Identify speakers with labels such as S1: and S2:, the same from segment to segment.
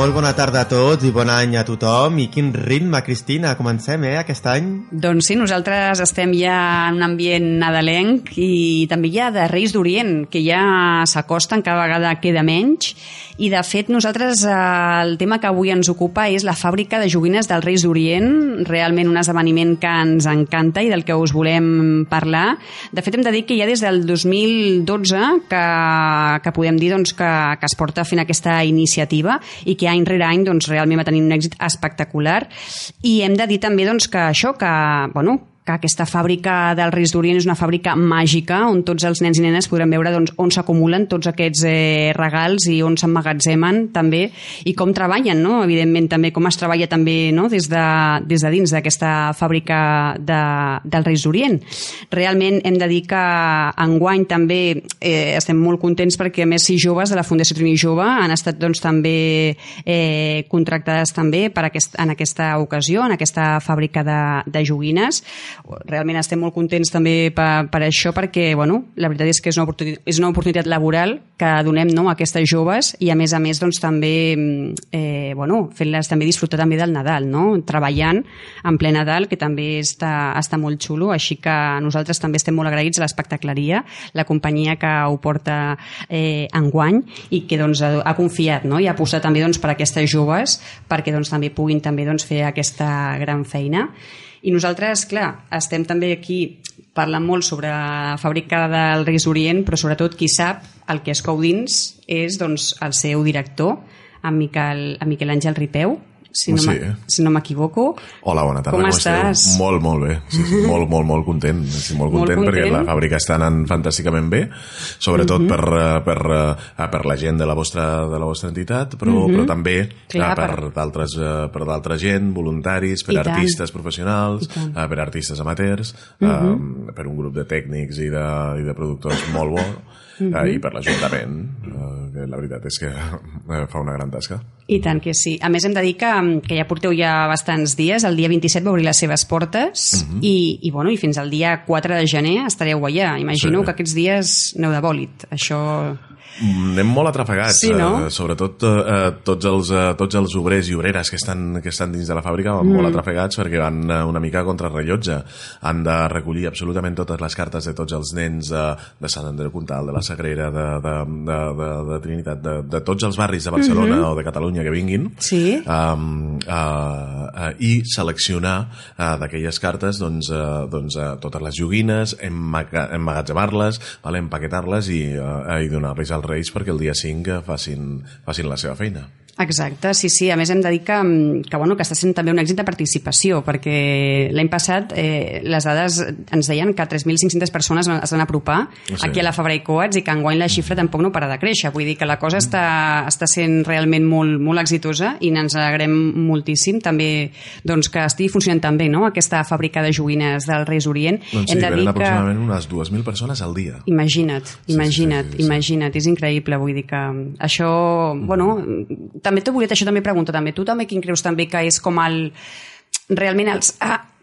S1: Molt bona tarda a tots i bon any a tothom. I quin ritme, Cristina, comencem, aquest any?
S2: Doncs sí, nosaltres estem ja en un ambient nadalenc i també ja de Reis d'Orient, que ja s'acosten, cada vegada queda menys. I de fet nosaltres el tema que avui ens ocupa és la fàbrica de joguines dels Reis d'Orient, realment un esdeveniment que ens encanta i del que us volem parlar. De fet hem de dir que ja des del 2012 que podem dir doncs, que es porta fent aquesta iniciativa i que any rere any doncs, realment va tenir un èxit espectacular. I hem de dir també doncs, que això, que aquesta fàbrica dels Reis d'Orient és una fàbrica màgica on tots els nens i nenes podran veure doncs, on s'acumulen tots aquests regals i on s'emmagatzemen també i com treballen, no? Evidentment també com es treballa també no? des de dins d'aquesta fàbrica dels Reis d'Orient. Realment hem de dir que enguany també estem molt contents perquè a més 6 joves de la Fundació Trini Jove han estat doncs, també contractades també en aquesta ocasió, en aquesta fàbrica de joguines. Realment estem molt contents també per això perquè la veritat és que és una oportunitat laboral que donem a aquestes joves i a més doncs, també fent-les també disfrutar també del Nadal, treballant en ple Nadal, que també està molt xulo, així que nosaltres també estem molt agraïts a l'Espectacleria, la companyia que ho porta enguany i que doncs, ha confiat i ha apostat també doncs, per aquestes joves perquè doncs, també puguin també, doncs, fer aquesta gran feina. I nosaltres, clar, estem també aquí parlant molt sobre la fàbrica dels Reis d'Orient, però sobretot qui sap el que es cou dins és doncs, el seu director, en Miquel Àngel Ripeu, si no m'equivoco.
S3: Hola, bona tarda.
S2: Com estàs?
S3: Molt bé. Sí, molt content. Molt content perquè la fàbrica està anant fantàsticament bé, sobretot per la gent de la vostra entitat, però també per d'altra gent, voluntaris, per artistes professionals, per artistes amateurs, per un grup de tècnics i de productors molt bo, i per l'Ajuntament, que la veritat és que fa una gran tasca.
S2: I tant que sí. A més hem de dir que ja porteu ja bastants dies, el dia 27 va obrir les seves portes i fins al dia 4 de gener estareu allà. Imagino que aquests dies aneu de bòlit. Això...
S3: Anem molt atrafegats,
S2: sí, no?
S3: Sobretot tots els obrers i obreres que estan dins de la fàbrica van molt atrafegats perquè van una mica contra rellotge. Han de recollir absolutament totes les cartes de tots els nens de Sant Andreu Comtal, de la Sagrera, de Trinitat, de tots els barris de Barcelona o de Catalunya que vinguin, i seleccionar d'aquelles cartes totes les joguines, emmagatzemar-les, empaquetar-les i donar-les als Reis perquè el dia 5 facin la seva feina.
S2: Exacte, sí. A més hem de dir que està sent també un èxit de participació perquè l'any passat les dades ens deien que 3.500 persones es van apropar aquí a la Fabra i Coats i que enguany la xifra tampoc no para de créixer. Vull dir que la cosa està sent realment molt, molt exitosa i ens alegrem moltíssim també doncs, que estigui funcionant tan bé aquesta fàbrica de joguines dels Reis d'Orient.
S3: Doncs sí, venen aproximadament unes 2.000 persones al dia.
S2: Imagina't, és increïble. Vull dir que això, també t'ho volia també preguntar, tu també quin creus també que és com realment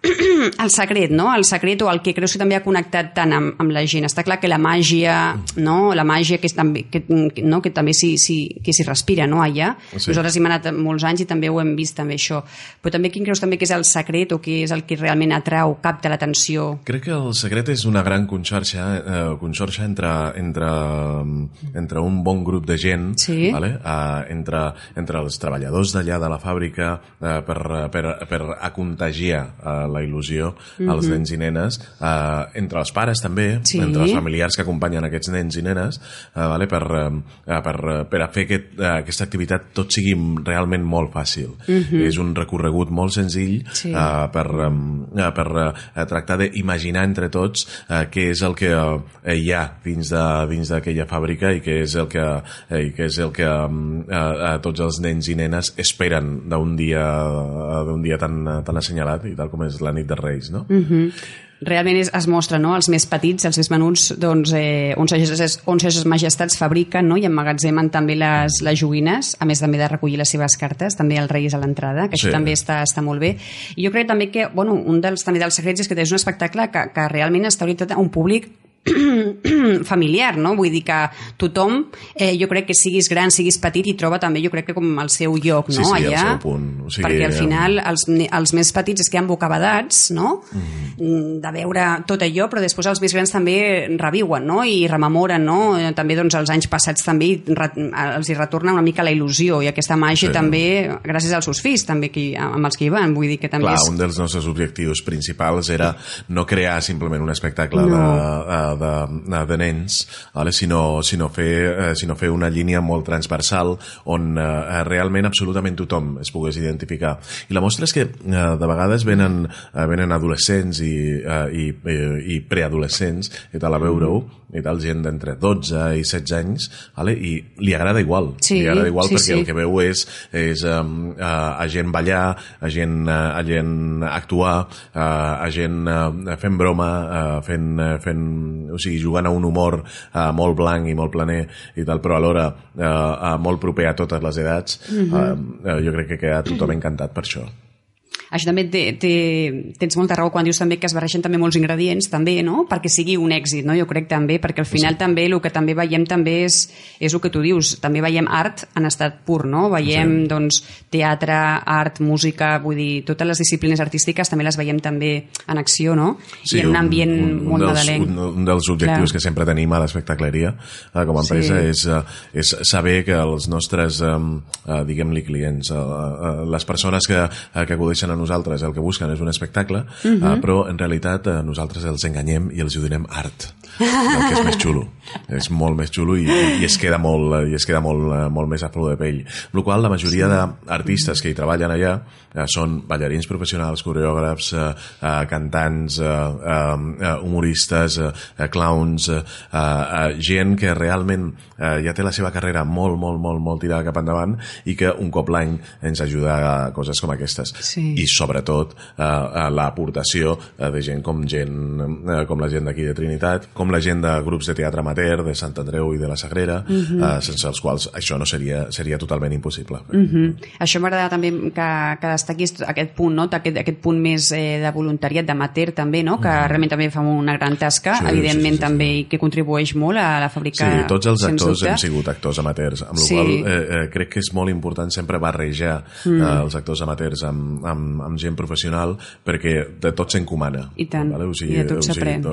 S2: el secret, no? El secret o el que creus que també ha connectat tant amb la gent. Està clar que la màgia, no? La màgia que també s'hi respira, no? Allà. Sí. Nosaltres hi hem anat molts anys i també ho hem vist també això. Però també quin creus també que és el secret o què és el que realment atrau, capta l'atenció?
S3: Crec que el secret és una gran conxorxa entre un bon grup de gent, entre els treballadors d'allà de la fàbrica per contagiar la il·lusió als nens i nenes, entre els pares també, entre els familiars que acompanyen aquests nens i nenes, per a fer aquesta activitat tot sigui realment molt fàcil. És un recorregut molt senzill per tractar d'imaginar entre tots què és el que hi ha dins d'aquella fàbrica i què és el que tots els nens i nenes esperen d'un dia tan assenyalat i tal com és la nit de Reis, no?
S2: Realment es mostra, no?, els més petits, els més menuts, doncs, on ses majestats fabriquen, no?, i emmagatzemen també les joguines, a més també de recollir les seves cartes, també els Reis a l'entrada, que això també està molt bé. I jo crec també que, un dels secrets és que és un espectacle que realment està orientat a un públic familiar, no? Vull dir que tothom, jo crec que siguis gran, siguis petit, i troba també, jo crec que com el seu lloc, no?
S3: Sí,
S2: allà,
S3: el seu punt. O sigui,
S2: perquè al final els més petits es queden bocabadats, no? De veure tot allò, però després els més grans també reviuen, no? I rememoren, no? També doncs els anys passats també els hi retorna una mica la il·lusió i aquesta màgia també, gràcies als seus fills també amb els que hi van, vull dir que també
S3: un dels nostres objectius principals era no crear simplement un espectacle de nens, vale? sinó fer una línia molt transversal on realment absolutament tothom es pogués identificar. I la mostra és que de vegades venen adolescents i preadolescents i tal a veure-ho, i tal, gent d'entre 12 i 16 anys, vale? I li agrada igual. Li agrada igual perquè el que veu és a gent ballar, a gent actuar, a gent fent broma, o sigui, jugant a un humor molt blanc i molt planer i tal, però alhora molt proper a totes les edats. Jo crec que queda tothom encantat per això.
S2: Això també tens molta raó quan dius també que es barregen també molts ingredients també, no? Perquè sigui un èxit, no? Jo crec també, perquè al final també el que també veiem també és el que tu dius, també veiem art en estat pur, no? Veiem doncs teatre, art, música, vull dir, totes les disciplines artístiques també les veiem també en acció, no? I en un ambient molt nadalenc.
S3: Un dels objectius que sempre tenim a l'espectacleria com a empresa és saber que els nostres diguem-li clients, les persones que acudeixen a nosaltres el que busquen és un espectacle, però en realitat nosaltres els enganyem i els donem art, el que és més xulo. És molt més xulo i es queda molt més a flor de pell. Amb la qual la majoria d'artistes que hi treballen allà són ballarins professionals, coreògrafs, cantants, humoristes, clowns, gent que realment ja té la seva carrera molt tirada cap endavant i que un cop l'any ens ajuda a coses com aquestes. I sobretot l'aportació de gent com la gent d'aquí de Trinitat, com la gent de grups de teatre amateur, de Sant Andreu i de la Sagrera, sense els quals això no seria totalment impossible.
S2: Això m'agrada també que destaquis aquest punt, no? Aquest punt més de voluntariat, d'amateur també, no? Que realment també fa una gran tasca, evidentment també, i que contribueix molt a la fàbrica.
S3: Sí, tots els actors hem sigut actors amateurs, amb la qual crec que és molt important sempre barrejar els actors amateurs amb gent professional, perquè de tot s'encomana.
S2: I tant,
S3: vale?
S2: i de tot s'aprèn.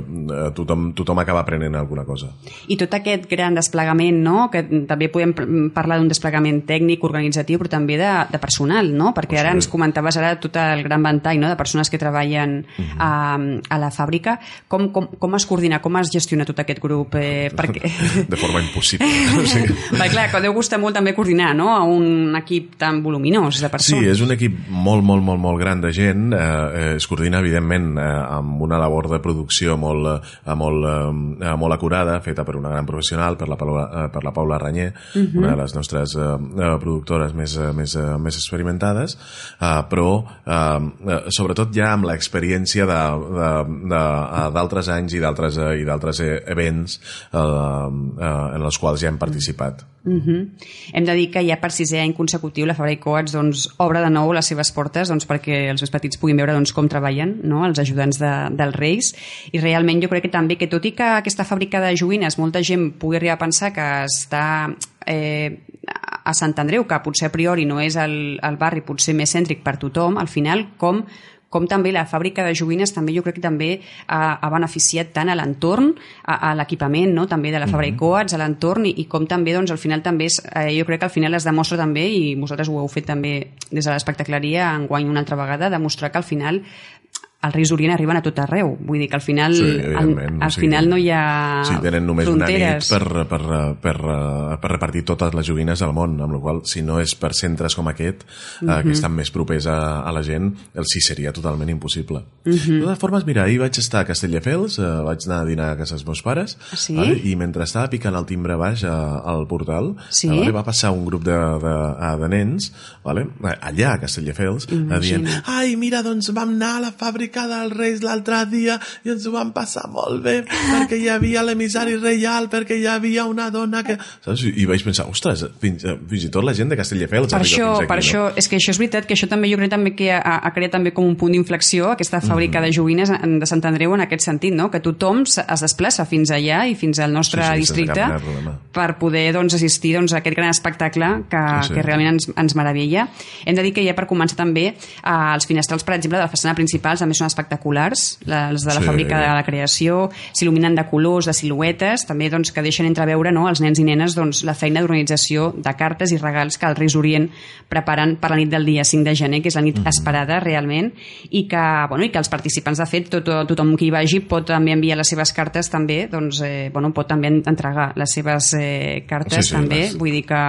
S3: Tothom acaba aprenent alguna cosa.
S2: I tot aquest gran desplegament, no? Que també podem parlar d'un desplegament tècnic, organitzatiu, però també de personal, no? Perquè ara ens comentaves tot el gran ventall, no? De persones que treballen a la fàbrica. Com es coordina, com es gestiona tot aquest grup?
S3: De forma impossible.
S2: Clar, que deu gustar molt també coordinar, no? A un equip tan voluminós de persones.
S3: Sí, és un equip molt gran de gent. Es coordina, evidentment, amb una labor de producció molt acurada, feta per una gran professional, per la Paula Ranyer, una de les nostres productores més experimentades, però sobretot ja amb l'experiència d'altres anys i d'altres events en els quals ja hem participat.
S2: Hem de dir que ja per 6è any consecutiu la Fàbrica Coats obre de nou les seves portes perquè els més petits puguin veure com treballen, no? Els ajudants dels Reis, i realment jo crec que també que tot i que aquesta fàbrica de joguines molta gent pugui arribar a pensar que està a Sant Andreu, que potser a priori no és el barri potser més cèntric per tothom, al final com també la fàbrica de joguines també jo crec que també ha beneficiat tant a l'entorn, a l'equipament, no? També de la Fàbrica Coats, a l'entorn, i com també al final també jo crec que al final es demostra també, i vosaltres ho heu fet també des de l'espectacleria enguany una altra vegada, demostrar que al final els Reis d'Orient arriben a tot arreu. Vull dir que al final final no hi ha
S3: sí, tenen només
S2: fronteres.
S3: Una nit per repartir totes les joguines del món, amb la qual cosa, si no és per centres com aquest, que estan més propers a la gent, el sí seria totalment impossible. De totes formes, mira, ahir vaig estar a Castelldefels, vaig anar a dinar a casa dels meus pares, vale? I mentre estava picant el timbre baix al portal, vale? Va passar un grup de nens, vale? Allà a Castelldefels, dient, ai, mira, doncs vam anar a la fàbrica fabricada als Reis l'altre dia i ens ho vam passar molt bé perquè hi havia l'emissari reial, perquè hi havia una dona que... Saps? I vaig pensar, ostres, fins i tot la gent de Castelldefels arriba fins aquí.
S2: Per això, és que això és veritat, que això també jo crec també que ha creat també com un punt d'inflexió aquesta fàbrica de joguines de Sant Andreu en aquest sentit, no? Que tothom es desplaça fins allà i fins al nostre districte per poder assistir a aquest gran espectacle que realment ens meravella. Hem de dir que ja per començar també els finestrals, per exemple, de la façana principal també són espectaculars, els de la fàbrica de la creació, s'il·luminen de colors, de siluetes, també que deixen entreveure els nens i nenes la feina d'organització de cartes i regals que els Reis d'Orient preparen per la nit del dia 5 de gener, que és la nit esperada realment, i que els participants, de fet, tothom que hi vagi pot també enviar les seves cartes també, pot també entregar les seves cartes també, vull dir que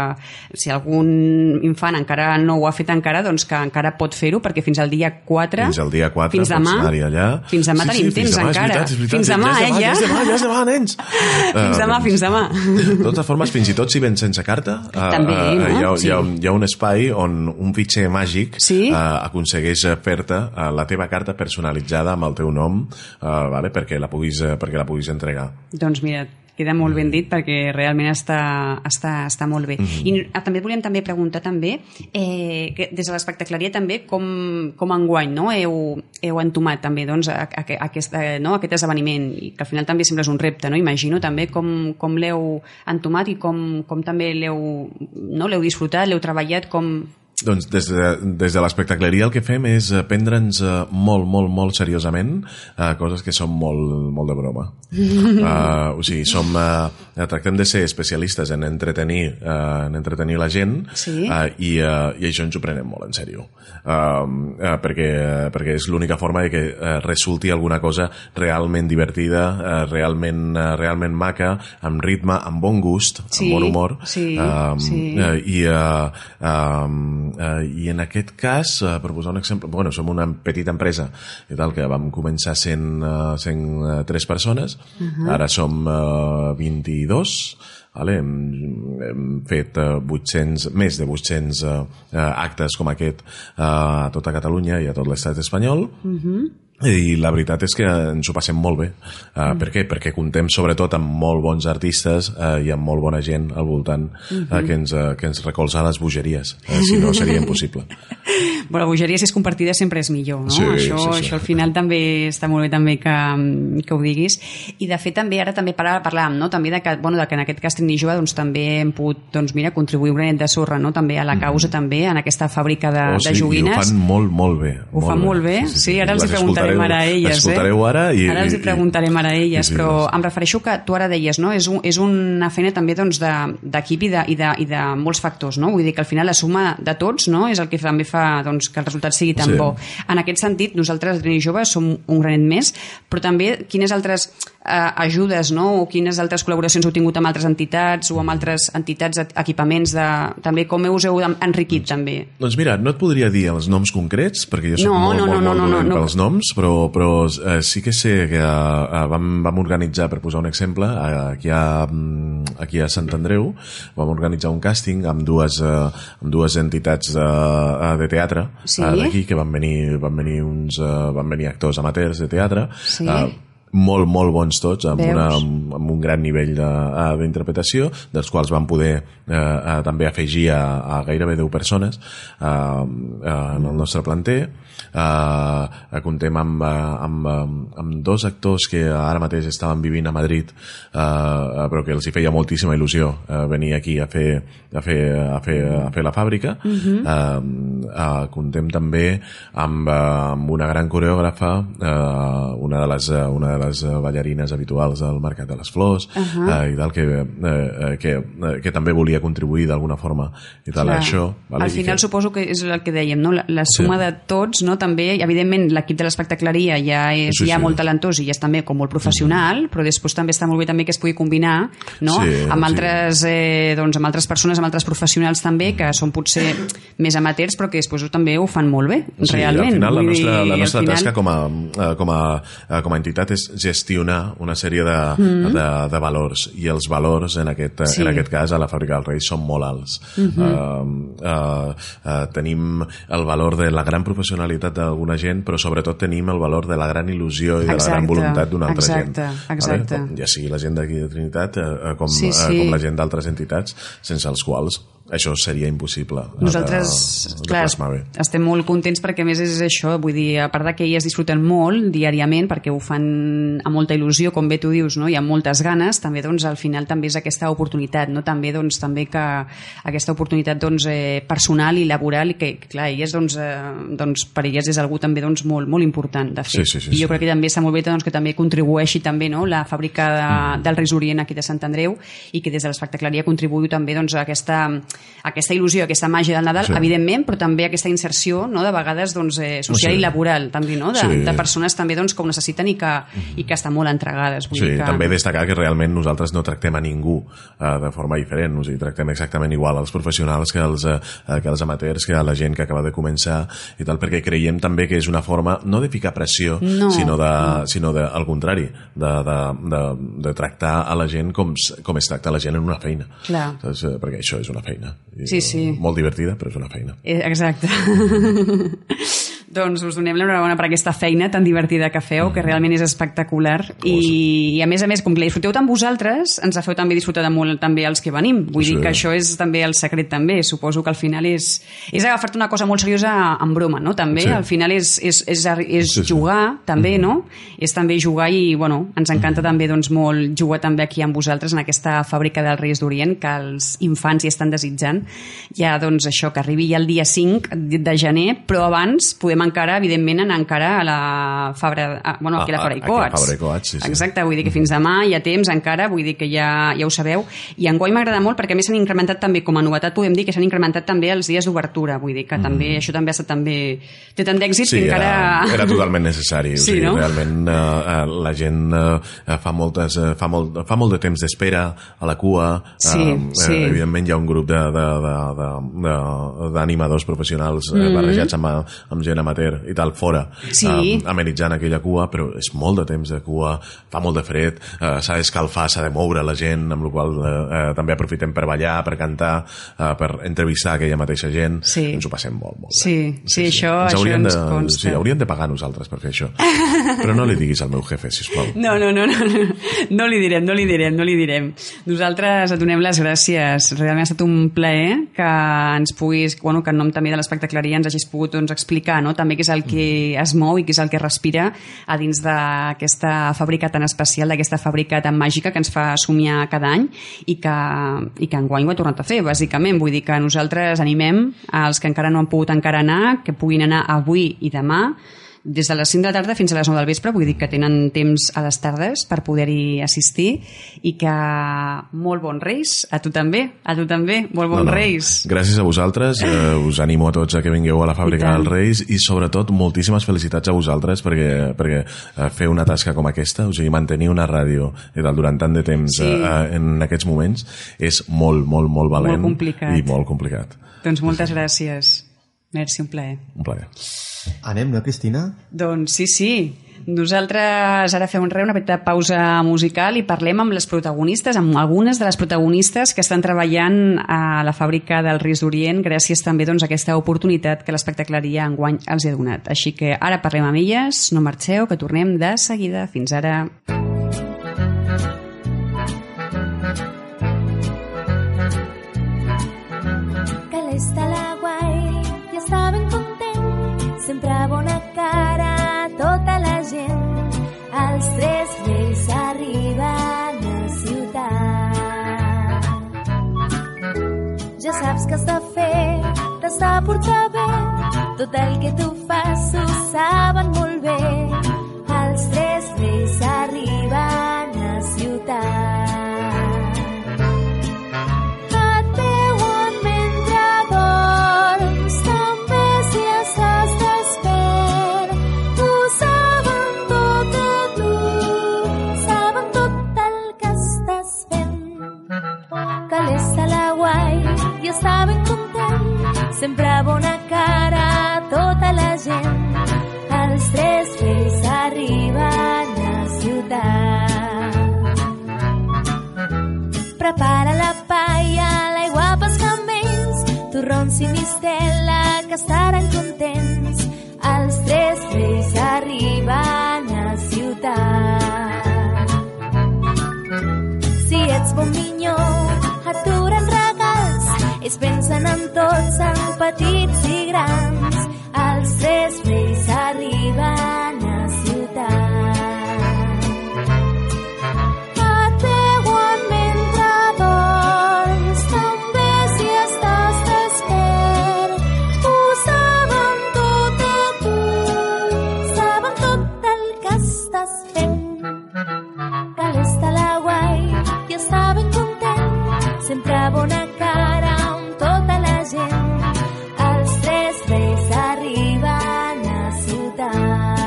S2: si algun infant encara no ho ha fet encara, doncs que encara pot fer-ho, perquè fins al dia 4 fins demà tenim temps encara, fins demà, ja és demà,
S3: nens,
S2: fins demà.
S3: De totes formes, fins i tot si vens sense carta, hi ha un espai on un fitxer màgic aconsegueix fer-te la teva carta personalitzada amb el teu nom, perquè la puguis entregar.
S2: Doncs mira, queda molt ben dit, perquè realment està molt bé. I també volíem preguntar que des de l'espectacleria també com enguany heu entomat també aquest esdeveniment, i que al final també sempre és un repte, imagino també com l'heu entomat i com també l'heu disfrutat, l'heu treballat, com...
S3: Doncs des de l'espectacleria el que fem és prendre'ns molt, molt, molt seriosament coses que són molt de broma. O sigui, tractem de ser especialistes en entretenir la gent, i això ens ho prenem molt en sèrio. Perquè és l'única forma de que resulti alguna cosa realment divertida, realment maca, amb ritme, amb bon gust, amb bon humor. I en aquest cas, per posar un exemple, som una petita empresa i tal, que vam començar sent 3 persones, ara som 22, hem fet més de 800 actes com aquest a tota Catalunya i a tot l'estat espanyol, i la veritat és que ens ho passem molt bé. Per què? Perquè comptem sobretot amb molt bons artistes i amb molt bona gent al voltant que ens recolza les bogeries, si no seria impossible.
S2: La bogeria, si és compartida, sempre és millor, no? Això al final també està molt bé també que ho diguis. I de fet també, ara també parlàvem també que en aquest cas Trini Jove també hem pogut contribuir un granet de sorra també a la causa, també en aquesta fàbrica de joguines.
S3: I ho fan molt bé.
S2: Ho fan molt bé? Sí, ara els hi preguntarem ara a elles.
S3: L'escoltareu ara
S2: ara els hi preguntarem ara a elles, però em refereixo que tu ara deies, és una feina també d'equip i de molts factors, no? Vull dir que al final la suma de tots és el que també fa que el resultat sigui tan bo. En aquest sentit, nosaltres, Trini Jove, som un granet més, però també quines altres ajudes o quines altres col·laboracions heu tingut amb altres entitats o amb altres entitats, equipaments, també com us heu enriquit també?
S3: Doncs mira, no et podria dir els noms concrets, perquè jo soc molt dolent pels noms, però sí que sé que vam organitzar, per posar un exemple, aquí a Sant Andreu vam organitzar un càsting amb dues entitats de teatre d'aquí, que van venir actors amateurs de teatre, molt bons tots, amb un gran nivell d'interpretació, dels quals van poder també afegir a gairebé 10 persones en el nostre planter. Comptem amb 2 actors que ara mateix estaven vivint a Madrid, però que els hi feia moltíssima il·lusió venir aquí a fer la fàbrica. Comptem també amb una gran coreògrafa, una de les ballarines habituals del Mercat de les Flors, i tal, que també volia contribuir d'alguna forma i tal, això.
S2: Al final suposo que és el que dèiem, la suma de tots, també, evidentment l'equip de l'espectacleria ja és molt talentós i ja és també com molt professional, però després també està molt bé també que es pugui combinar amb altres persones, amb altres professionals també, que són potser més amateurs, però que després també ho fan molt bé, realment.
S3: Al final la nostra tasca com a entitat és gestionar una sèrie de valors, i els valors en aquest cas a la Fàbrica dels Reis són molt alts. Tenim el valor de la gran professionalitat d'alguna gent, però sobretot tenim el valor de la gran il·lusió i de la gran voluntat d'una altra gent.
S2: Exacte.
S3: Ja sigui la gent d'aquí de Trinitat com la gent d'altres entitats, sense els quals això seria impossible.
S2: Nosaltres, clar, estem molt contents perquè a més és això, vull dir, a part que elles disfruten molt diàriament perquè ho fan amb molta il·lusió, com bé tu dius, no? I amb moltes ganes, també doncs al final també és aquesta oportunitat, no? També que aquesta oportunitat personal i laboral, i que clar, elles per elles és algú també molt, molt important de fer. I jo crec que també està molt bé que també contribueixi també, no? La Fàbrica del Reis d'Orient aquí de Sant Andreu, i que des de l'espectacleria contribuï també a aquesta il·lusió, aquesta màgia del Nadal, evidentment, però també aquesta inserció, no, de vegades social i laboral, també, no? De persones també que ho necessiten i que estan molt entregades.
S3: També destacar que realment nosaltres no tractem a ningú de forma diferent, o sigui, tractem exactament igual als professionals que als amateurs, que a la gent que acaba de començar i tal, perquè creiem també que és una forma no de ficar pressió, sinó al contrari, de tractar a la gent com es tracta la gent en una feina. Perquè això és una feina. Molt divertida, però és una feina.
S2: Exacte. Doncs us donem l'enhorabona per aquesta feina tan divertida que feu, que realment és espectacular, i a més, com que la disfruteu tant vosaltres, ens la feu també disfrutar de molt també els que venim. Vull dir que això és també el secret també. Suposo que al final és agafar-te una cosa molt seriosa en broma, no? També al final és jugar també, no? És també jugar, i ens encanta també molt jugar també aquí amb vosaltres en aquesta Fàbrica dels Reis d'Orient, que els infants hi estan desitjant ja, això, que arribi ja el dia 5 de gener, però abans podem encara, evidentment, anar encara a la Fabra, aquí a la Fabra i Coats. Exacte, vull dir que fins demà hi ha temps encara, vull dir que ja ho sabeu, i enguany m'agrada molt perquè a més s'han incrementat també, com a novetat podem dir que s'han incrementat també els dies d'obertura, vull dir que també això també ha estat té tant d'èxit que encara...
S3: Era totalment necessari, realment la gent fa molt de temps d'espera a la cua, evidentment hi ha un grup d'animadors professionals barrejats amb gent amateur i tal, fora, amenitzant aquella cua, però és molt de temps de cua, fa molt de fred, s'ha d'escalfar, s'ha de moure la gent, amb la qual també aprofitem per ballar, per cantar, per entrevistar aquella mateixa gent. Ens ho passem molt bé.
S2: Això ens consta.
S3: Hauríem de pagar nosaltres per fer això, però no li diguis al meu jefe, sisplau.
S2: No li direm. Nosaltres et donem les gràcies. Realment ha estat un plaer que ens puguis, que en nom també de l'espectacleria ens hagis pogut explicar, no? També què és el que es mou i què és el que respira a dins d'aquesta fàbrica tan especial, d'aquesta fàbrica tan màgica que ens fa somiar cada any i que enguany ho ha tornat a fer, bàsicament. Vull dir que nosaltres animem als que encara no han pogut anar, que puguin anar avui i demà, des de les 5 de la tarda fins a les 9 del vespre, vull dir que tenen temps a les tardes per poder-hi assistir, i que molt bons Reis, a tu també, molt bons Reis.
S3: Gràcies a vosaltres, us animo a tots a que vingueu a la Fàbrica dels Reis, i sobretot moltíssimes felicitats a vosaltres perquè fer una tasca com aquesta, o sigui, mantenir una ràdio durant tant de temps en aquests moments és molt, molt, molt valent i molt complicat.
S2: Doncs moltes gràcies. Merci, un plaer.
S3: Un plaer.
S1: Anem, no, Cristina?
S2: Doncs sí. Nosaltres ara fem una petita pausa musical i parlem amb les protagonistes, amb algunes de les protagonistes que estan treballant a la Fàbrica dels Reis d'Orient, gràcies també a aquesta oportunitat que l'espectacleria enguany els ha donat. Així que ara parlem amb elles, no marxeu, que tornem de seguida. Fins ara.
S4: Calesta la guai, ja està ben content, sempre bona cara tota la gent. Els 3 reis arriben a ciutat. Ja saps que has de fer, t'has de portar bé, tot el que tu fas ho saben molt bé. Els 3 reis arriben a ciutat. Està ben content, sempre bona cara tota la gent. Els 3 reis ells pensen en tots, en petits i grans. Els tres reis arriben a ciutat. Et veuen mentre dorms, també si estàs despert. Ho saben tot de tu, saben tot el que estàs fent. Que l'esta la guai i està ben content, sempre bona cara amb tota la gent. Els tres reis arriben a ciutat.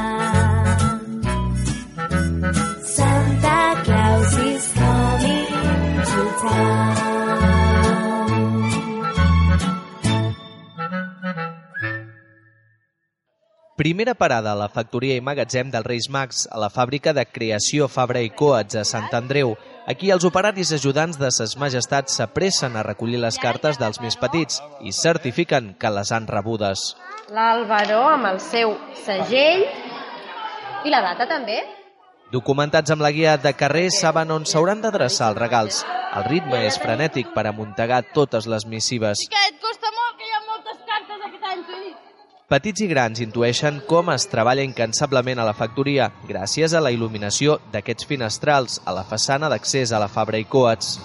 S4: Santa Claus is coming to town.
S5: Primera parada a la factoria i magatzem dels Reis Mags, a la fàbrica de creació Fabra i Coats a Sant Andreu. Aquí els operaris ajudants de ses majestats s'apressen a recollir les cartes dels més petits i certifiquen que les han rebudes.
S6: L'Albaró amb el seu segell i la data també.
S5: Documentats amb la guia de carrer saben on s'hauran d'adreçar els regals. El ritme és frenètic per amuntegar totes les missives.
S6: Que et costa molt, que hi ha moltes cartes aquest any, t'ho he dit.
S5: Petits i grans intueixen com es treballa incansablement a la factoria gràcies a la il·luminació d'aquests finestrals a la façana d'accés a la Fabra i Coats.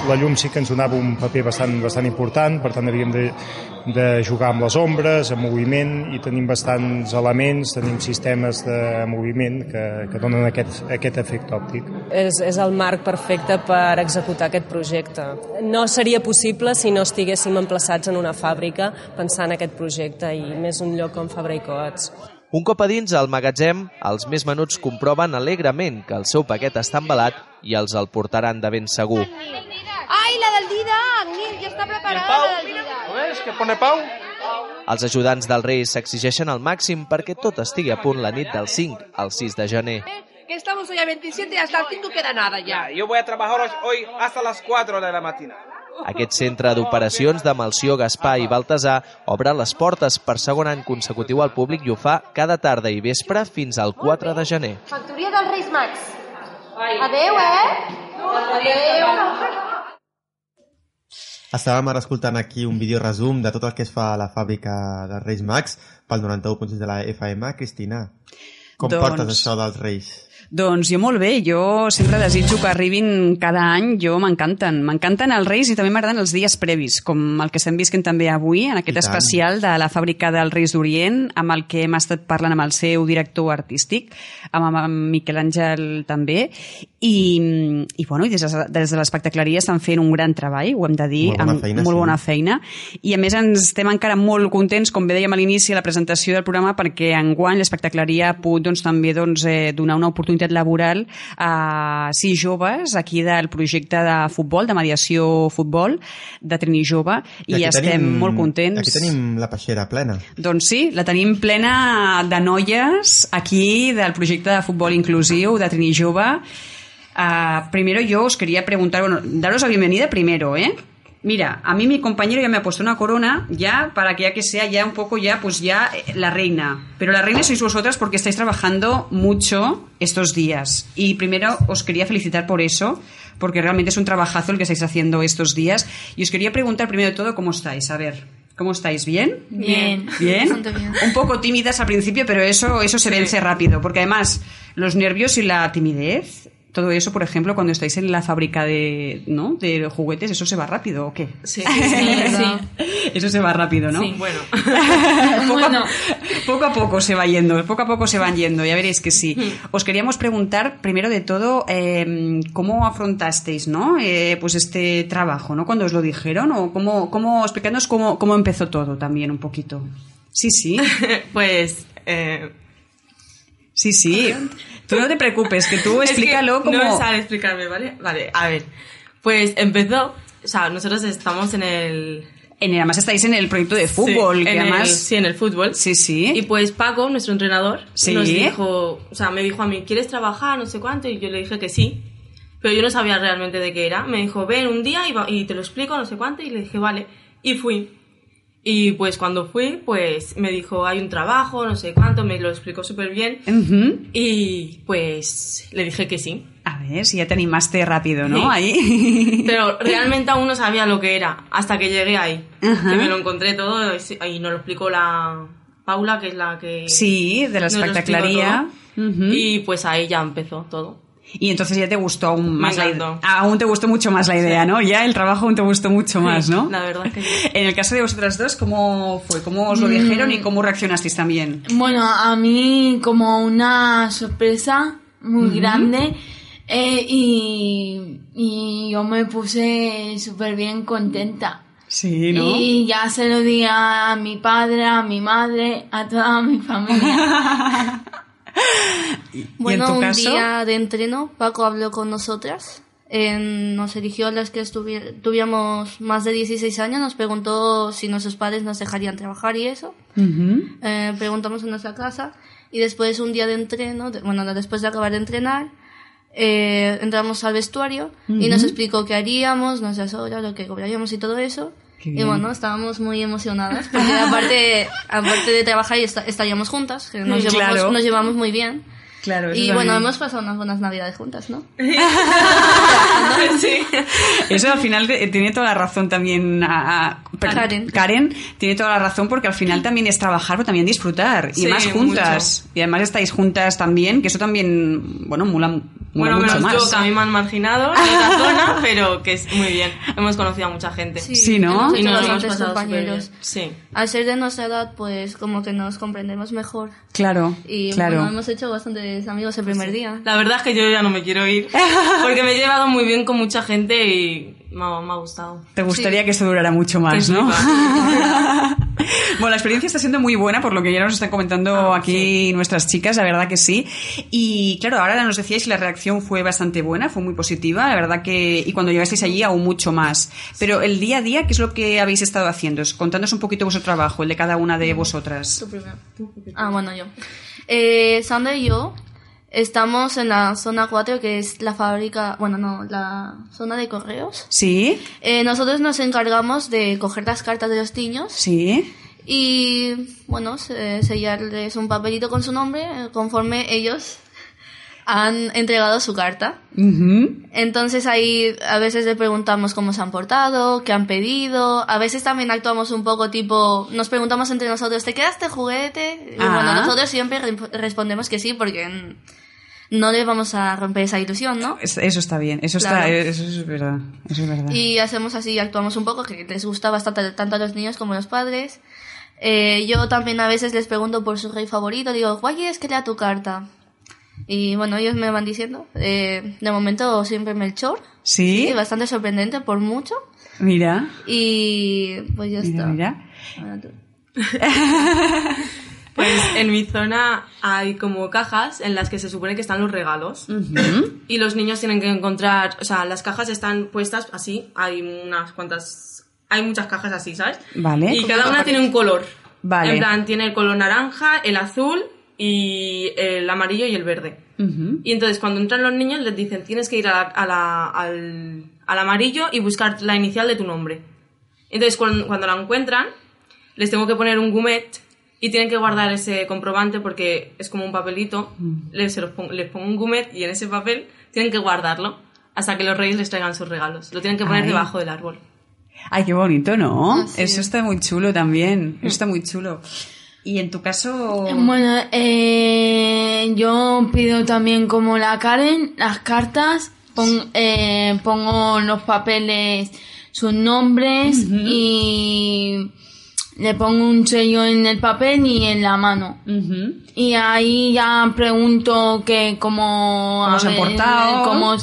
S7: La llum sí que ens donava un paper bastant important, per tant havíem de jugar amb les ombres, amb moviment, i tenim bastants elements, tenim sistemes de moviment que donen aquest efecte òptic.
S8: És el marc perfecte per executar aquest projecte. No seria possible si no estiguéssim emplaçats en una fàbrica pensant en aquest projecte, i més un lloc com Fabra i Coats.
S5: Un cop a dins al magatzem, els més menuts comproven alegrement que el seu paquet està embalat i els el portaran de ben segur.
S6: Ai, la del Didac, Nil, ja està preparada la del Didac.
S9: ¿Lo ves? Que pone Pau.
S5: Els ajudants dels Reis s'exigeixen al màxim perquè tot estigui a punt la nit del 5 al 6 de gener.
S10: Que estamos hoy a 27 y hasta el 5 queda nada ya.
S9: Yo voy a trabajar hoy hasta las 4 de la mañana.
S5: Aquest centre d'operacions de Melcior, Gaspar i Baltasar obre les portes per segon any consecutiu al públic i ho fa cada tarda i vespre fins al 4 de gener.
S6: Factoria dels Reis Mags. Adeu, Adeu.
S1: Estàvem ara escoltant aquí un vídeo resum de tot el que es fa a la fàbrica dels Reis Mags pel 91.6 de la FM. Cristina, com portes això dels Reis?
S2: Doncs jo molt bé, jo sempre desitjo que arribin cada any, m'encanten els Reis i també m'agraden els dies previs, com el que estem visquent també avui, en aquest especial de la fàbrica dels Reis d'Orient, amb el que hem estat parlant amb el seu director artístic, amb Miquel Àngel també, i bueno, des de l'espectacleria estan fent un gran treball, ho hem de dir, molt bona feina, i a més estem encara molt contents, com bé dèiem a l'inici de la presentació del programa, perquè enguany l'espectacleria ha pogut també donar una oportunitat laboral a 6 joves aquí del projecte de futbol, de mediació futbol de Trini Jove, i estem molt contents.
S1: Aquí tenim la peixera plena.
S2: Doncs sí, la tenim plena de noies aquí del projecte de futbol inclusiu de Trini Jove. Primero yo os quería preguntar, bueno, daros la bienvenida primero, Mira, a mí mi compañero ya me ha puesto una corona ya para que sea ya un poco pues ya la reina. Pero la reina sois vosotras porque estáis trabajando mucho estos días. Y primero os quería felicitar por eso, porque realmente es un trabajazo el que estáis haciendo estos días. Y os quería preguntar primero de todo cómo estáis. A ver, ¿cómo estáis? ¿Bien?
S11: Bien.
S2: ¿Bien? Un poco tímidas al principio, pero eso se vence rápido. Porque además los nervios y la timidez... Todo eso, por ejemplo, cuando estáis en la fábrica de juguetes, ¿eso se va rápido o qué?
S11: Sí.
S2: Eso se va rápido, ¿no?
S11: Sí, bueno.
S2: Poco a poco se va yendo, ya veréis que sí. Os queríamos preguntar, primero de todo, ¿cómo afrontasteis, ¿no? Pues este trabajo, ¿no? Cuando os lo dijeron, o explicadnos cómo empezó todo también un poquito. Sí.
S11: Pues...
S2: Sí. Tú no te preocupes, que tú explícalo como...
S11: No me sale explicarme, ¿vale? Vale, a ver. Pues empezó... O sea, nosotros estamos
S2: además estáis en el proyecto de fútbol.
S11: Sí,
S2: que además...
S11: en el fútbol.
S2: Sí.
S11: Y pues Paco, nuestro entrenador,
S2: nos
S11: dijo... O sea, me dijo a mí, ¿quieres trabajar? No sé cuánto. Y yo le dije que sí. Pero yo no sabía realmente de qué era. Me dijo, ven un día y te lo explico, no sé cuánto. Y le dije, vale. Y fui. Y pues cuando fui, pues me dijo, hay un trabajo, no sé cuánto, me lo explicó súper bien. Y pues le dije que sí.
S2: A ver, si ya te animaste rápido, ¿no?
S11: Sí.
S2: Ahí.
S11: Pero realmente aún no sabía lo que era, hasta que llegué ahí. Que me lo encontré todo y nos lo explicó la Paula, que es la que...
S2: Sí, de la espectacularía.
S11: Y pues ahí ya empezó todo.
S2: Y entonces ya te gustó aún más
S11: la idea.
S2: Aún te gustó mucho más la idea, ¿no? Ya el trabajo aún te gustó mucho más, ¿no?
S11: La verdad que sí.
S2: En el caso de vosotras dos, ¿cómo fue? ¿Cómo os lo dijeron y cómo reaccionasteis también?
S12: Bueno, a mí como una sorpresa muy grande y yo me puse súper bien contenta.
S2: Sí, ¿no?
S12: Y ya se lo di a mi padre, a mi madre, a toda mi familia.
S6: Bueno, un día de entreno, Paco habló con nosotras. Nos eligió a las que tuviéramos más de 16 años, nos preguntó si nuestros padres nos dejarían trabajar y eso. Preguntamos en nuestra casa y después un día de entreno, después de acabar de entrenar, entramos al vestuario y nos explicó qué haríamos, nuestras horas, lo que cobraríamos y todo eso. Y bueno, estábamos muy emocionadas porque aparte de trabajar estaríamos juntas, que nos llevamos muy bien.
S2: Claro,
S6: y bueno, hemos pasado unas buenas navidades juntas, ¿no?
S11: Sí.
S2: Eso al final tiene toda la razón también. Karen tiene toda la razón porque al final también es trabajar, pero también disfrutar. Y más juntas. Mucho. Y además estáis juntas también, que eso también, bueno, mola mucho más.
S11: Yo, que a mí me han marginado en otra zona, pero que es muy bien. Hemos conocido a mucha gente.
S2: Sí, ¿no?
S6: Y nos hemos pasado compañeros. Sí. Al ser de nuestra edad, pues como que nos comprendemos mejor.
S2: Claro,
S6: y bueno, hemos hecho bastantes amigos el primer día.
S11: La verdad es que yo ya no me quiero ir, porque me he llevado muy bien con mucha gente y me ha gustado.
S2: Te gustaría que esto durara mucho más, ¿no? Bueno, la experiencia está siendo muy buena, por lo que ya nos están comentando aquí nuestras chicas, la verdad que sí. Y claro, ahora nos decíais que la reacción fue bastante buena, fue muy positiva, la verdad que... Y cuando llegasteis allí aún mucho más. Pero el día a día, ¿qué es lo que habéis estado haciendo? Contadnos un poquito vuestro trabajo, el de cada una de vosotras.
S6: Tú primero. Bueno, yo. Sandra y yo estamos en la zona 4, que es la fábrica, la zona de correos.
S2: Sí.
S6: Nosotros nos encargamos de coger las cartas de los niños.
S2: Sí.
S6: Y, bueno, sellarles un papelito con su nombre conforme ellos han entregado su carta. Entonces ahí a veces le preguntamos cómo se han portado, qué han pedido. A veces también actuamos un poco tipo, nos preguntamos entre nosotros, ¿te queda este juguete? Y bueno, nosotros siempre respondemos que sí, porque no le vamos a romper esa ilusión, ¿no?
S2: Eso está bien, eso es verdad, eso es verdad.
S6: Y hacemos así, actuamos un poco, que les gusta bastante tanto a los niños como a los padres. Yo también a veces les pregunto por su rey favorito, digo, ¿cuál quieres que lea tu carta? Y bueno, ellos me van diciendo, de momento siempre Melchor.
S2: Sí.
S6: Sí, bastante sorprendente por mucho.
S2: Mira.
S6: Y pues ya está.
S2: Mira.
S6: Ahora tú.
S11: Pues en mi zona hay como cajas en las que se supone que están los regalos. Y los niños tienen que encontrar, o sea, las cajas están puestas así, hay unas cuantas, hay muchas cajas así, ¿sabes?
S2: Vale.
S11: Y cada una tiene un color.
S2: Vale.
S11: En plan, tiene el color naranja, el azul y el amarillo y el verde. Y entonces cuando entran los niños les dicen, tienes que ir al amarillo y buscar la inicial de tu nombre. Entonces cuando la encuentran, les tengo que poner un gourmet y tienen que guardar ese comprobante porque es como un papelito. Les pongo un gourmet y en ese papel tienen que guardarlo hasta que los reyes les traigan sus regalos. Lo tienen que poner debajo del árbol.
S2: Ay, qué bonito, ¿no?
S6: Sí.
S2: Eso está muy chulo también. Eso está muy chulo. Y en tu caso...
S12: Bueno, yo pido también como la Karen, las cartas, pongo los papeles, sus nombres y le pongo un sello en el papel y en la mano. Y ahí ya pregunto que cómo se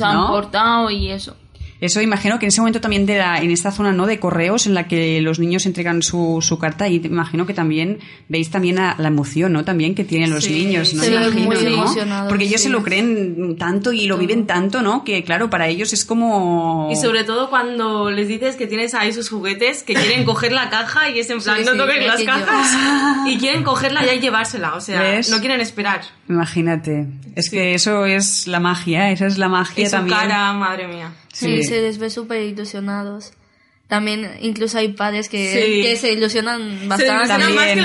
S12: han portado y eso.
S2: Eso imagino que en ese momento también en esta zona, ¿no?, de correos en la que los niños entregan su carta, y imagino que también veis también la emoción, ¿no?, también que tienen los niños, ¿no?
S6: Se ven muy
S2: emocionados, porque ellos se lo creen tanto y lo viven tanto, ¿no?, que claro, para ellos es como...
S11: Y sobre todo cuando les dices que tienes ahí sus juguetes, que quieren coger la caja y es en plan, no toques las cajas, y quieren cogerla ya y llevársela, o sea,
S2: ¿ves?
S11: No quieren esperar.
S2: Imagínate, es que eso es la magia, esa es la magia
S11: y su
S2: también.
S11: cara, madre mía.
S6: Sí, se les ve súper ilusionados. también incluso hay padres que se ilusionan bastante.
S11: También. Más que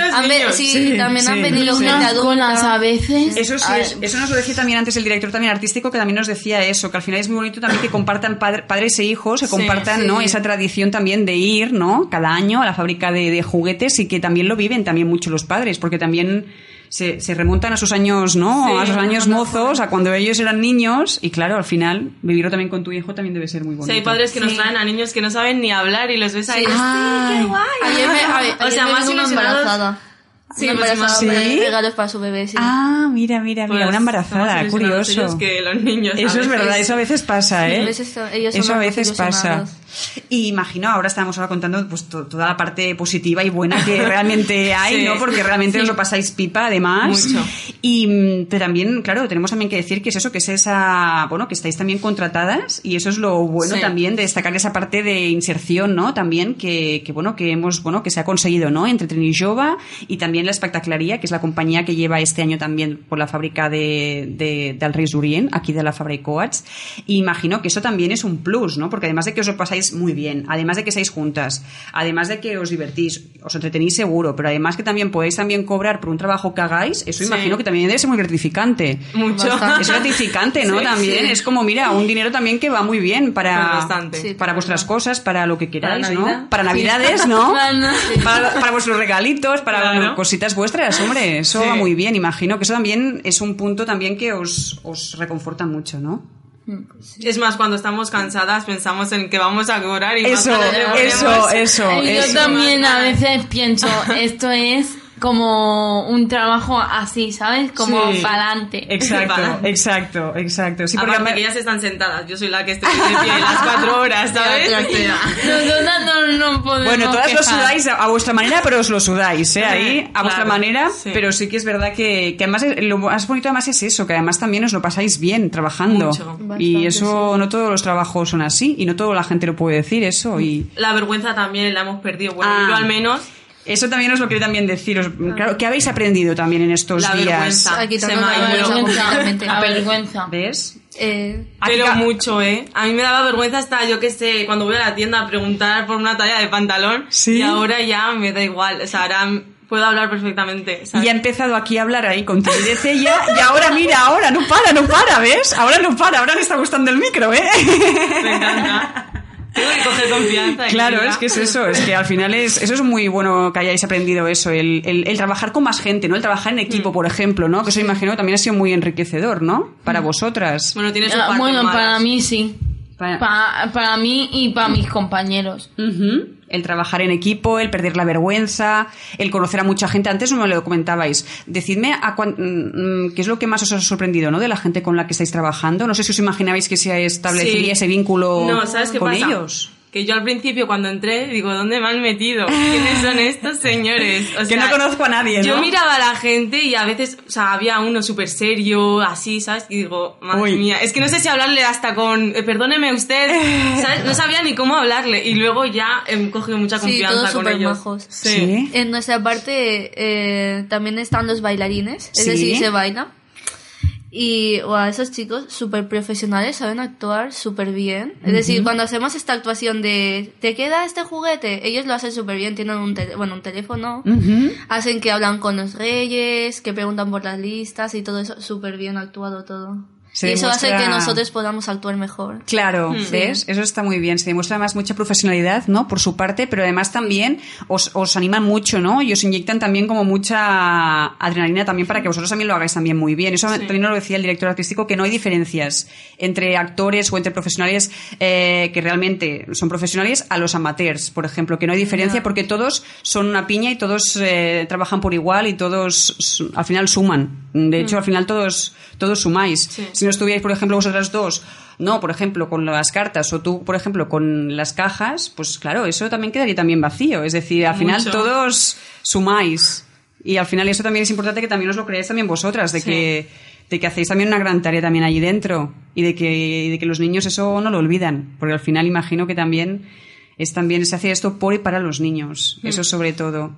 S11: los niños.
S6: También han venido gente adulta
S12: a veces.
S2: Eso sí, eso nos lo decía también antes el director también artístico, que también nos decía eso, que al final es muy bonito también que compartan padres e hijos, que compartan ¿no? esa tradición también de ir, ¿no? Cada año a la fábrica de juguetes, y que también lo viven también mucho los padres, porque también se remontan a sus años, ¿no? A sus años mozos, a cuando ellos eran niños, y claro, al final vivirlo también con tu hijo también debe ser muy bonito.
S11: Sí, hay padres que nos traen a niños que no saben ni hablar y los ves ahí. ¡Sí, qué guay!
S6: O sea, más embarazada.
S11: Sí,
S6: regalos para su bebé, sí.
S2: Ah, mira, pues, una embarazada, curioso.
S11: Que los niños,
S2: eso es verdad, eso a veces pasa, ¿eh?
S6: Eso
S2: a veces pasa. Y imagino, ahora estábamos contando pues toda la parte positiva y buena que realmente hay, ¿no? Porque realmente os lo pasáis pipa, además.
S11: Mucho.
S2: Pero también, claro, tenemos también que decir que es eso, que es esa, bueno, que estáis también contratadas, y eso es lo bueno también de destacar esa parte de inserción, ¿no? También que se ha conseguido, ¿no? Entre Trini Jove y también la Espectacleria, que es la compañía que lleva este año también por la fábrica del Reis d'Orient, aquí de la Fabra i Coats. Y imagino que eso también es un plus, ¿no? Porque además de que os lo pasáis muy bien, además de que estáis juntas, además de que os divertís, os entretenís seguro, pero además que también podéis también cobrar por un trabajo que hagáis, eso imagino que también debe ser muy gratificante.
S11: Mucho.
S2: Es gratificante, ¿no? También es como, mira, un dinero también que va muy bien para vuestras cosas, para lo que queráis, ¿no? Para Navidades, ¿no? Para vuestros regalitos, para cositas vuestras, hombre, eso va muy bien. Imagino que eso también es un punto también que os reconforta mucho, ¿no?
S11: Es más, cuando estamos cansadas pensamos en que vamos a cobrar y
S2: eso.
S12: Yo también a veces pienso, esto es como un trabajo así, ¿sabes? Como para adelante.
S2: Exacto. Sí,
S11: porque aparte que ellas están sentadas, yo soy la que estoy de pie las 4 horas, ¿sabes?
S12: No podemos
S2: bueno, todas
S12: quejar.
S2: lo sudáis a vuestra manera, pero os lo sudáis, ahí, a vuestra manera, pero sí que es verdad que además lo más bonito además es eso, que además también os lo pasáis bien trabajando.
S11: Mucho.
S2: Y eso, no todos los trabajos son así, y no toda la gente lo puede decir, eso. Y
S11: la vergüenza también la hemos perdido, bueno, yo al menos.
S2: Eso también os lo quiero también deciros. Claro, ¿qué habéis aprendido también en estos días?
S12: La vergüenza.
S2: ¿Ves?
S11: Pero mucho, ¿eh? A mí me daba vergüenza hasta, yo qué sé, cuando voy a la tienda a preguntar por una talla de pantalón.
S2: ¿Sí?
S11: Y ahora ya me da igual. O sea, ahora puedo hablar perfectamente, ¿sabes?
S2: Y ha empezado aquí a hablar ahí con timidez ella, y ahora mira, ahora no para, ¿ves? Ahora le está gustando el micro, ¿eh?
S11: Me encanta. Tengo que coger confianza.
S2: Claro, es que es eso, es que al final eso es muy bueno que hayáis aprendido eso, el trabajar con más gente, ¿no? El trabajar en equipo, por ejemplo, ¿no? Que eso imagino que también ha sido muy enriquecedor, ¿no? Para vosotras.
S11: Bueno, tienes un par
S12: Bueno, para mí sí. Para mí y para mis compañeros.
S2: El trabajar en equipo, el perder la vergüenza, el conocer a mucha gente. Antes no me lo comentabais. Decidme qué es lo que más os ha sorprendido, ¿no? De la gente con la que estáis trabajando. No sé si os imaginabais que se establecería ese vínculo con ellos.
S11: Que yo al principio cuando entré digo, ¿dónde me han metido? ¿Quiénes son estos señores? O sea,
S2: que no conozco a nadie, ¿no?
S11: Yo miraba a la gente y a veces, o sea, había uno súper serio, así, ¿sabes? Y digo, madre mía, es que no sé si hablarle hasta con, perdóneme usted, ¿sabes? No sabía ni cómo hablarle, y luego ya he cogido mucha confianza con ellos.
S6: Majos. Sí. En nuestra parte también están los bailarines, es decir, se baila. Y esos chicos súper profesionales, saben actuar súper bien. Es decir, cuando hacemos esta actuación de ¿te queda este juguete? Ellos lo hacen súper bien, tienen un teléfono, hacen que hablan con los reyes, que preguntan por las listas y todo eso, súper bien actuado todo. Y eso hace que nosotros podamos actuar mejor.
S2: Claro, ¿ves? Eso está muy bien. Se demuestra además mucha profesionalidad, ¿no? Por su parte, pero además también os animan mucho, ¿no? Y os inyectan también como mucha adrenalina también para que vosotros también lo hagáis también muy bien. Eso también nos lo decía el director artístico, que no hay diferencias entre actores o entre profesionales que realmente son profesionales a los amateurs, por ejemplo, que no hay diferencia porque todos son una piña y todos trabajan por igual y todos al final suman. De hecho, al final todos sumáis. Si no estuvierais, por ejemplo, vosotras dos, no, por ejemplo, con las cartas, o tú, por ejemplo, con las cajas, pues claro, eso también quedaría también vacío. Es decir, al final todos sumáis. Y al final eso también es importante que también os lo creáis también vosotras, de que hacéis también una gran tarea también allí dentro. Y de que los niños eso no lo olvidan. Porque al final imagino que también se hace esto por y para los niños. Eso sobre todo.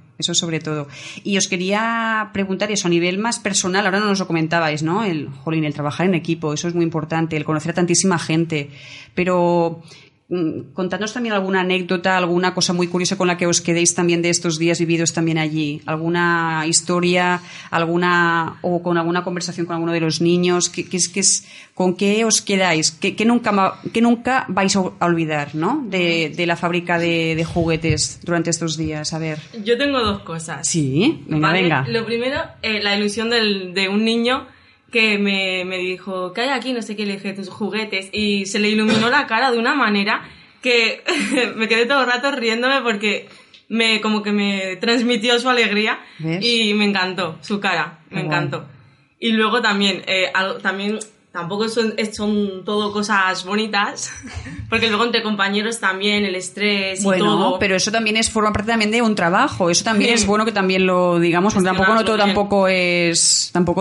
S2: Y os quería preguntar eso a nivel más personal. Ahora no nos lo comentabais, ¿no? El trabajar en equipo, eso es muy importante, el conocer a tantísima gente. Pero contadnos también alguna anécdota, alguna cosa muy curiosa con la que os quedéis también de estos días vividos también allí. Alguna historia, o con alguna conversación con alguno de los niños. ¿Con qué os quedáis? ¿Qué nunca vais a olvidar, ¿no? De la fábrica de juguetes durante estos días. A ver.
S11: Yo tengo 2 cosas.
S2: Sí, venga.
S11: Lo primero, la ilusión de un niño que me dijo, ¿qué hay aquí? No sé qué, le dije, tus juguetes. Y se le iluminó la cara de una manera que me quedé todo el rato riéndome porque como que me transmitió su alegría. ¿Ves? Y me encantó su cara, me encantó. Y luego también, tampoco son todo cosas bonitas, porque luego entre compañeros también el estrés y todo.
S2: Bueno, pero eso también forma parte también de un trabajo. Eso también es bueno que también lo digamos, porque tampoco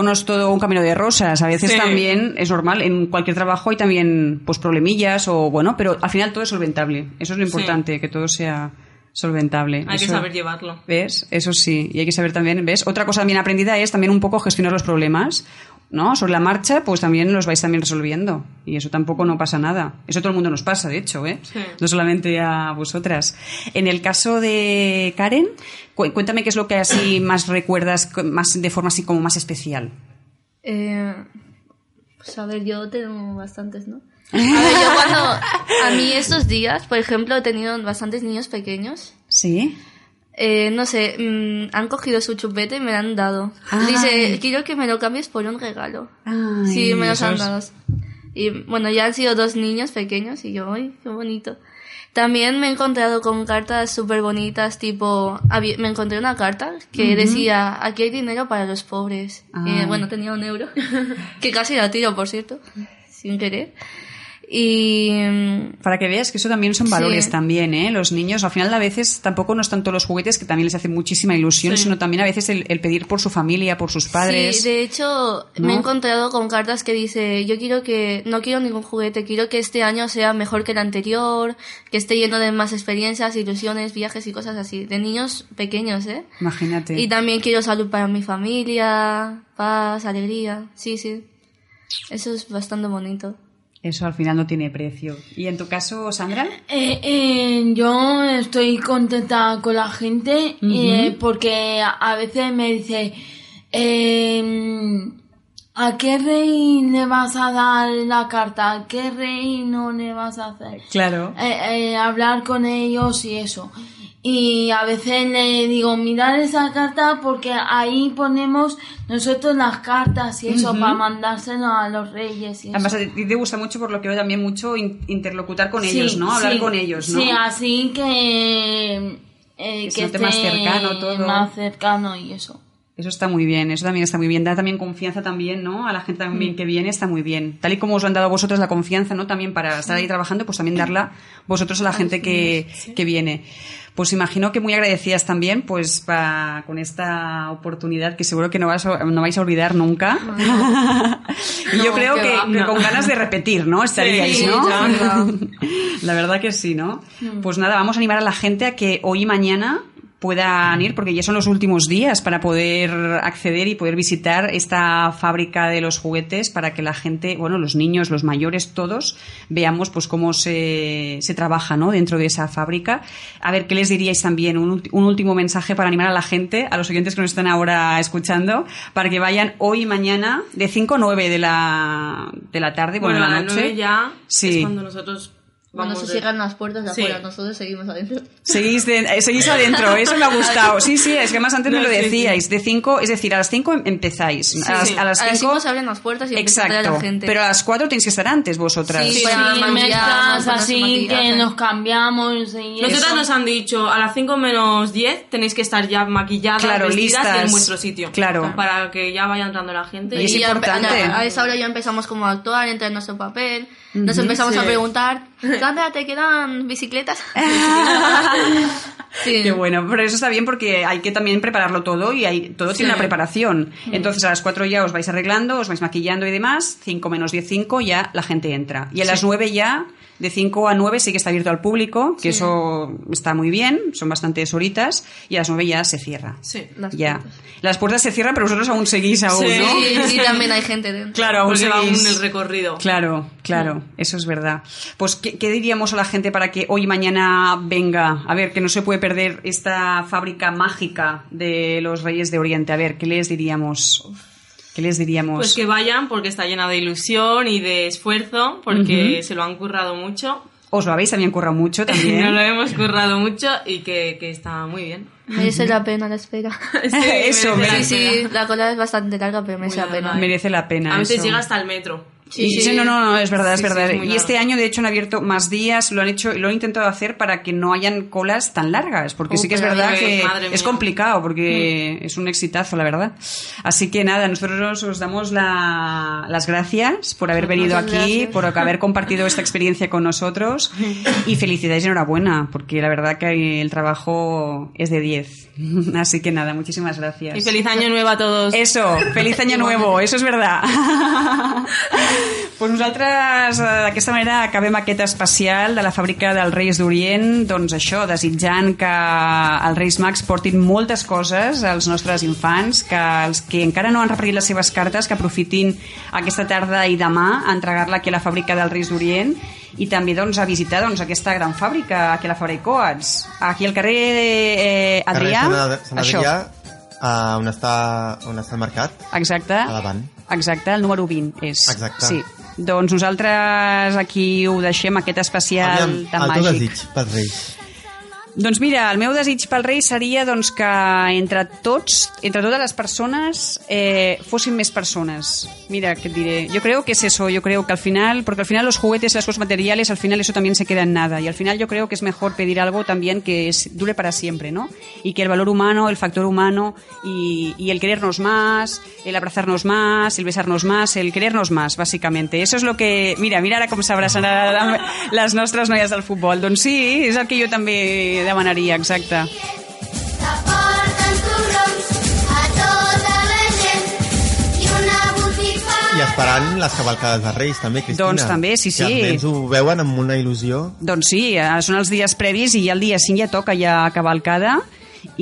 S2: no es todo un camino de rosas. A veces también es normal. En cualquier trabajo hay también pues problemillas pero al final todo es solventable. Eso es lo importante, que todo sea solventable.
S11: Hay que saber llevarlo.
S2: ¿Ves? Eso sí. Y hay que saber también, ¿ves? Otra cosa también aprendida es también un poco gestionar los problemas, ¿no? Sobre la marcha, pues también los vais también resolviendo. Y eso tampoco no pasa nada. Eso a todo el mundo nos pasa, de hecho, ¿eh? Sí. No solamente a vosotras. En el caso de Karen, cuéntame qué es lo que así más recuerdas más de forma así como más especial.
S6: Pues a ver, yo tengo bastantes, ¿no? A ver, a mí estos días, por ejemplo, he tenido bastantes niños pequeños.
S2: ¿Sí?
S6: No sé, han cogido su chupete y me lo han dado. Dice, quiero que me lo cambies por un regalo.
S2: Ay,
S6: sí, me los han dado. Y bueno, ya han sido 2 niños pequeños y yo, ¡ay, qué bonito! También me he encontrado con cartas súper bonitas, me encontré una carta que decía, aquí hay dinero para los pobres. Bueno, tenía 1 euro, que casi la tiro, por cierto, sin querer. Y
S2: para que veas que eso también son valores también, ¿eh? Los niños al final a veces tampoco no es tanto los juguetes, que también les hace muchísima ilusión, sino también a veces el pedir por su familia, por sus padres.
S6: Sí, de hecho, ¿no? Me he encontrado con cartas que dice, no quiero ningún juguete, quiero que este año sea mejor que el anterior, que esté lleno de más experiencias, ilusiones, viajes y cosas así, de niños pequeños, ¿eh?
S2: Imagínate.
S6: Y también quiero salud para mi familia, paz, alegría, sí, eso es bastante bonito.
S2: Eso al final no tiene precio. ¿Y en tu caso, Sandra?
S12: Yo estoy contenta con la gente porque a veces me dice ¿a qué rey le vas a dar la carta? ¿A qué rey no le vas a hacer?
S2: Claro.
S12: Hablar con ellos y eso. Y a veces le digo, mirad esa carta porque ahí ponemos nosotros las cartas y eso para mandárselo a los reyes y
S2: además
S12: eso.
S2: a ti te gusta mucho, por lo que veo también mucho, interlocutar con ellos, ¿no? Hablar con ellos, ¿no?
S12: Sí, así que
S2: esté más cercano todo.
S12: Más cercano y eso.
S2: Eso está muy bien, eso también está muy bien. Da también confianza también, ¿no? A la gente también que viene está muy bien. Tal y como os lo han dado a vosotros la confianza, ¿no? También para estar ahí trabajando, pues también darla vosotros a la gente que viene. Pues imagino que muy agradecidas también pues con esta oportunidad que seguro que no vais a olvidar nunca. Y yo creo que con ganas de repetir, ¿no? Estaríais, ¿no? La verdad que sí, ¿no? Pues nada, vamos a animar a la gente a que hoy y mañana puedan ir, porque ya son los últimos días para poder acceder y poder visitar esta fábrica de los juguetes, para que la gente, bueno, los niños, los mayores, todos, veamos pues cómo se trabaja, ¿no? Dentro de esa fábrica. A ver, ¿qué les diríais también? Un último mensaje para animar a la gente, a los oyentes que nos están ahora escuchando, para que vayan hoy y mañana de 5 a 9 de la tarde, bueno, de la noche.
S11: 9 ya es cuando nosotros
S6: cuando se cierran las puertas de afuera, nosotros seguimos adentro.
S2: Seguís adentro, eso me ha gustado. Sí, es que más antes me lo decíais. De 5, es decir, a las 5 empezáis.
S6: Sí, a las 5 se abren las puertas y empieza a entrar la gente.
S2: Pero a las 4 tenéis que estar antes vosotras.
S6: Sí, mientras así que nos cambiamos.
S11: Nosotras nos han dicho, a las 5 menos 10 tenéis que estar ya maquilladas, vestidas listas, y en vuestro sitio.
S2: Claro.
S11: Para que ya vaya entrando la gente.
S2: Y es importante.
S6: A esa hora ya empezamos como a actuar, entrar en nuestro papel. Nos empezamos a preguntar, Sandra, ¿te quedan bicicletas?
S2: Sí. Qué bueno, pero eso está bien porque hay que también prepararlo todo y todo tiene una preparación. Entonces a las 4 ya os vais arreglando, os vais maquillando y demás, 5 menos 10, 5 ya la gente entra. Y a las 9 ya, de 5 a 9 sí que está abierto al público, que eso está muy bien, son bastantes horitas, y a las 9 ya se cierra.
S11: Sí,
S2: las puertas se cierran, pero vosotros aún seguís ¿no?
S6: Sí, también hay gente dentro.
S2: Claro, aún
S11: porque
S2: seguís.
S11: va aún el recorrido.
S2: Claro, eso es verdad. Pues, ¿qué diríamos a la gente para que hoy y mañana venga? A ver, que no se puede perder esta fábrica mágica de los Reyes de Oriente. A ver, ¿qué les diríamos?
S11: Pues que vayan porque está llena de ilusión y de esfuerzo, porque se lo han currado mucho.
S2: Os lo habéis también currado mucho también.
S11: Nos lo hemos currado mucho y que está muy bien.
S6: Merece la pena la espera.
S2: Eso,
S6: sí, la cola es bastante larga, pero merece la pena.
S2: Merece la pena.
S11: A veces llega hasta el metro.
S2: Sí, no, es verdad, es verdad. Y este año, de hecho, han abierto más días, lo han intentado hacer para que no hayan colas tan largas, porque sí que es verdad que es complicado, porque es un exitazo, la verdad. Así que nada, nosotros os damos las gracias por haber venido aquí, por haber compartido esta experiencia con nosotros, y felicidades y enhorabuena, porque la verdad que el trabajo es de 10. Así que nada, muchísimas gracias.
S11: Y feliz año nuevo a todos.
S2: Eso, feliz año nuevo, eso és verdad. Pues nosaltres d'aquesta manera acabem aquest especial de la fàbrica dels Reis d'Orient, doncs això, desitjant que els Reis Mags portin moltes coses als nostres infants, que els que encara no han repartit les seves cartes, que aprofitin aquesta tarda i demà a entregar-la aquí a la fàbrica dels Reis d'Orient, i també doncs, a visitar aquesta gran fàbrica aquí a la Fabra i Coats, aquí al carrer Adrià,
S1: Sant Adrià, on està el mercat.
S2: Exacte.
S1: A davant.
S2: Exacte, el número 20 és.
S1: Exacte.
S2: Sí. Doncs nosaltres aquí ho deixem, aquest especial tan màgic.
S1: El teu desig pels Reis.
S2: Doncs mira, el meu desig pel rei seria doncs, que entre totes les persones fossin més persones. Mira, què et diré. Yo creo que es eso, yo creo que al final, porque al final los juguetes y las cosas materiales, al final eso también se queda en nada. Y al final yo creo que es mejor pedir algo también que dure para siempre, ¿no? Y que el valor humano, el factor humano y el querernos más, el abrazarnos más, el besarnos más, el querernos más, básicamente. Eso es lo que... Mira ara com s'abracen les nostres noies del futbol. Doncs sí, és el que jo també demanaria, exacte.
S1: I esperant les cavalcades de Reis també, Cristina.
S2: Doncs també, sí.
S1: Que els nens ho veuen amb una il·lusió.
S2: Doncs sí, són els dies previs i el dia 5 ja toca ja cavalcada.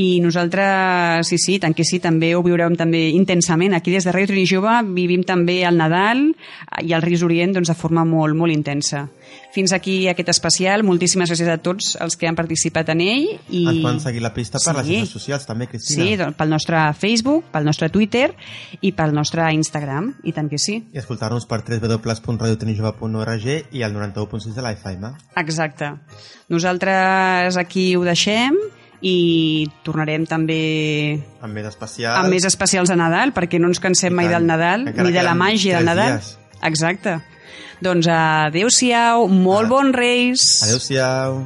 S2: I nosaltres, sí, tant que sí, també ho viurem també intensament. Aquí des de Ràdio Trini Jove vivim també el Nadal i el Reis d'Orient doncs, de forma molt, molt intensa. Fins aquí aquest especial. Moltíssimes gràcies a tots els que han participat en ell.
S1: Ens poden seguir la pista per les xarxes socials també, Cristina.
S2: Sí, doncs, pel nostre Facebook, pel nostre Twitter i pel nostre Instagram, i tant que sí.
S1: I escoltar-nos per www.radiotrinijove.org i el 91.6 de la FM.
S2: Exacte. Nosaltres aquí ho deixem i tornarem també
S1: amb més
S2: especials a Nadal, perquè no ens cansem mai del Nadal, ni de la màgia del Nadal. Exacte. Doncs adéu-siau, molt bons Reis.
S1: Adéu-siau.